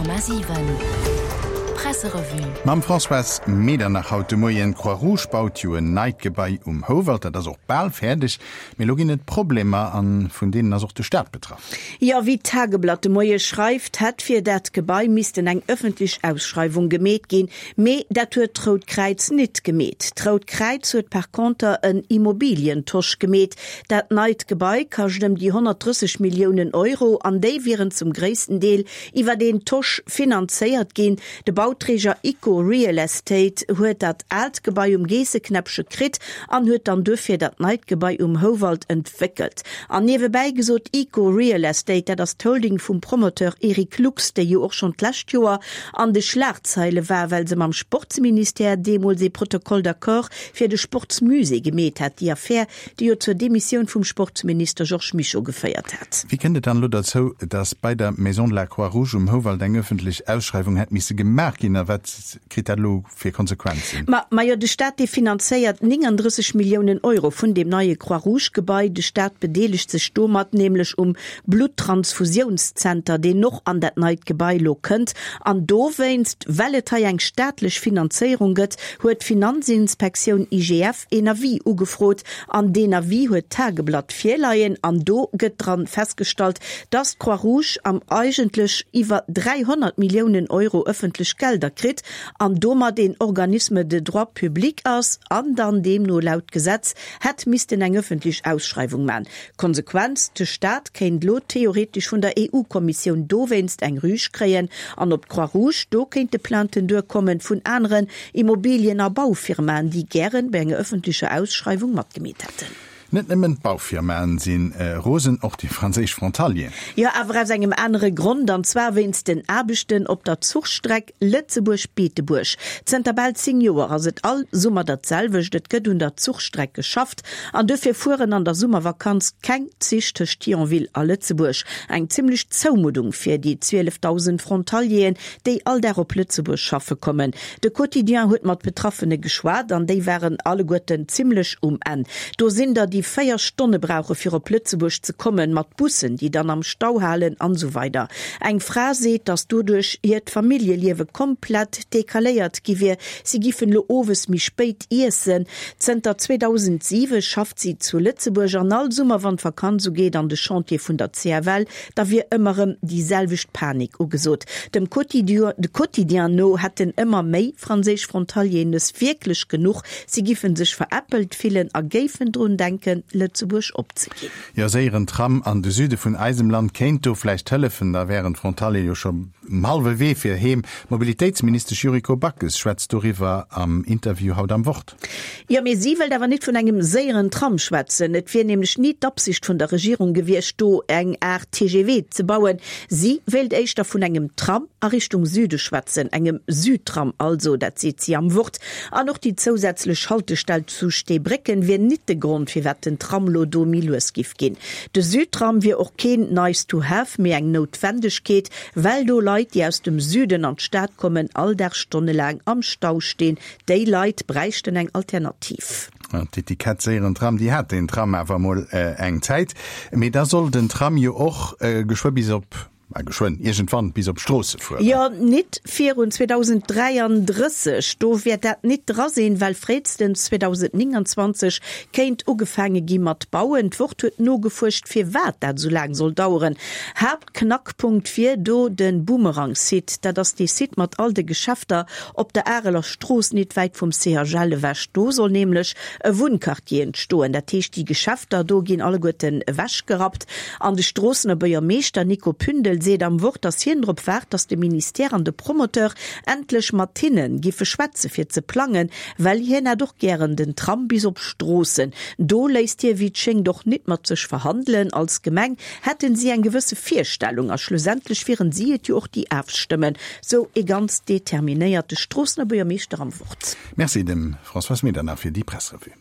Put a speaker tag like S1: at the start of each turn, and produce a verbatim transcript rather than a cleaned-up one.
S1: Komma siwen Presserevue.
S2: Mam Françoise Medernach haut de Moien. D'Croix Rouge baut jo en neit Gebai um Houwald, dat ass och bal fäerdeg. Mee elo ginn et Problemer a vun deenen ass och de Staat betraff.
S3: Jo, wéi d'Tageblatt de Moie schreift, hätt fir dat Gebai missten eng ëffentlech Ausschreiwung gemeet ginn. Mee dat huet d'Rout Kräiz nit gemeet. D'Rout Kräiz huet par conter en Immobilientosch gemeet. Dat neit Gebai kascht ëm déi honnertdrësseg Milliounen Euro an déi wieren zum gréissten Deel iwwer een Tosch finanzéiert ginn. De Bauträger Ico Real Estate huet dat aalt Gebai um Geesseknäppche kritt an huet dann duerfir dat neit Gebai um Houwald entwéckelt. An niewebäi gesot, Ico Real Estate, dat ass d'Holding vum Promoteur Eric Lux, déi jo och schonn d'lescht Joer an de Schlagzeile war, well se mam Sportsministère deemools ee Protocole d'accord fir de Sportsmusée gemeet hat, déi Affär, déi jo zur Demissioun vum Sportsminister Georges Mischo geféiert hat.
S2: Wéi kënnt et dann elo derzou, datt bei der Maison de la Croix-Rouge um Houwald eng ëffentlech Ausschreiwung hätt misse gemaach ginn a wat kritt dat elo fir Konsequenzen?
S3: Ma majo, de Staat dee finanzéiert nénganddrësseg Milliounen Euro vun deem neie Croix-Rouge-Gebai. De Staat bedeelegt sech domat nämlech um Bluttransfusiounszenter, deen och an dat neit Gebai elo kënnt. An dowéinst, well et hei eng staatlech Finanzéierung gëtt, huet d'Finanzinspektioun I G F een Avis ugefrot. An deen Avis huet d'Tageblatt virleien. An do gëtt dran festgestallt, dass d'Croix-Rouge am eigentlech iwwer dräihonnert Milliounen Euro ëffentlech Gelder kritt an domat een Organisme de droit public ass an dann deemno laut Gesetz hätt missten eng ëffentlech Ausschreiwung man. Konsequenz, De Staat kéint lo theoretesch vun der E U-Kommissioun dowéinst eng Rüg kréien an op d'Croix-Rouge do kéinte Plainten duerkommen vun aneren Immobilien a Baufirmaen, déi gären bei enger ëffentlecher Ausschreiwung matgemeet hätten.
S2: Net nëmmen d'Baufirmaen si rosen, och déi franséisch Frontalieren.
S3: Jo, awer aus engem anere Grond, an zwar wéinst den Aarbechten op der Zuchstreck Lëtzebuerg-Beetebuerg. Zënter bal zéng Joer ass et all Summer dat selwecht, et gëtt un der Zuchstreck geschafft an duerfir fueren an der Summervakanz keng Zich tëscht Thionville a Lëtzebuerg. Eng zimmlech Zoumuddung fir déi zwielefdausend Frontalieren, déi all Dag op Lëtzebuerg schaffe kommen. De Quotidien huet mat Betraffene geschwat an déi waren alleguerten zimmlech um Enn. Do sinn der, déi véier Stonne brauche fir op Lëtzebuerg ze kommen, mat Bussen, déi dann am Stau halen an esou weider. Eng Fra seet, datt doduerch hiert Familljeliewe komplett decaléiert gi wier, si giffen elo owes méi spéit iessen. Zënter zweedausendsiwe schafft si zu Lëtzebuerg an all Summer, wann d'Vakanz ugeet an de Chantier vun der C F L, da wier ëmmer erëm déi selwecht Panik ugesot. Dem Quotidien no hätten ëmmer méi franséisch Frontalieren es wierklech genuch, si giffen sech veräppelt fillen a géifen drun denken, Lëtzebuerg opzeginn.
S2: Jo, séieren Tram an de Süde vun eisem Land kéint do vläicht hëllefen, da wären d'Frontaliere jo scho um hallwe Wee fir heem. D'Mobilitéitsministesch Yuriko Backes schwätzt doriwwer am Interview haut am Wort.
S3: Jo, mee si wëllt awer nit vun engem séieren Tram schwätzen. Et wier nämlech ni d'Absicht vun der Regierung gewiescht, do eng Aart T G V ze bauen. Si wéilt éischter vun engem Tram a Richtung Süde schwätzen, engem Südtram also, dat seet si am Wort. An och déi zousätzlech Haltestell zu Steebrécken wier nit de Grond, firwat den Tram lo do méi lues giff ginn. De Südtram wier och keen nice to have, mee eng Noutwendegkeet, well do Leit, déi aus dem Süden an d'Stad kommen, all Dag stonnelaang am Stau stinn. Déi Leit bräichten eng Alternativ.
S2: D'Etikett séieren Tram, déi hat den Tram awer emol eng Zäit. Mee da soll den Tram jo och geschwë bis op, ma geschwënn, iergendwann bis op Stroosse fueren.
S3: Jo, nit virun zweedausend dräianddrësseg. Do wäert dat nit dra sinn, well fréistens zweedausend nénganzwanzeg kéint ugefaange gi mat bauen. D'Wort huet nogefuerscht, firwat dat esou laang soll daueren. Haaptknackpunkt wier do de Boomerang-Site. Dat ass dee Site mat all de Geschäfter op der Areler Strooss, nit wäit vum C H L ewech. Do soll nämlech e Wunnquartier entstoen. Dat heescht, déi Geschäfter do ginn alleguerten ewechgerappt. An de Stroossener Buergermeeschter Nico Pündel seet am Wort, datt hien drop waart, datt de Ministère an de Promoteur endlech mat hinne giffe schwätze fir ze plangen, well hien hätt och gären den Tram bis op Stroossen. Do léisst hie wéi et schéngt och nit mat sech verhandelen. Als Gemeng hätten si eng gewësse Virstellung a schlussendlech wieren si et jo och, déi afstëmmen, sou ee ganz determinéierte Stroossener Buergermeeschter am Wort.
S2: Merci dem Françoise Medernach fir déi Pressrevue.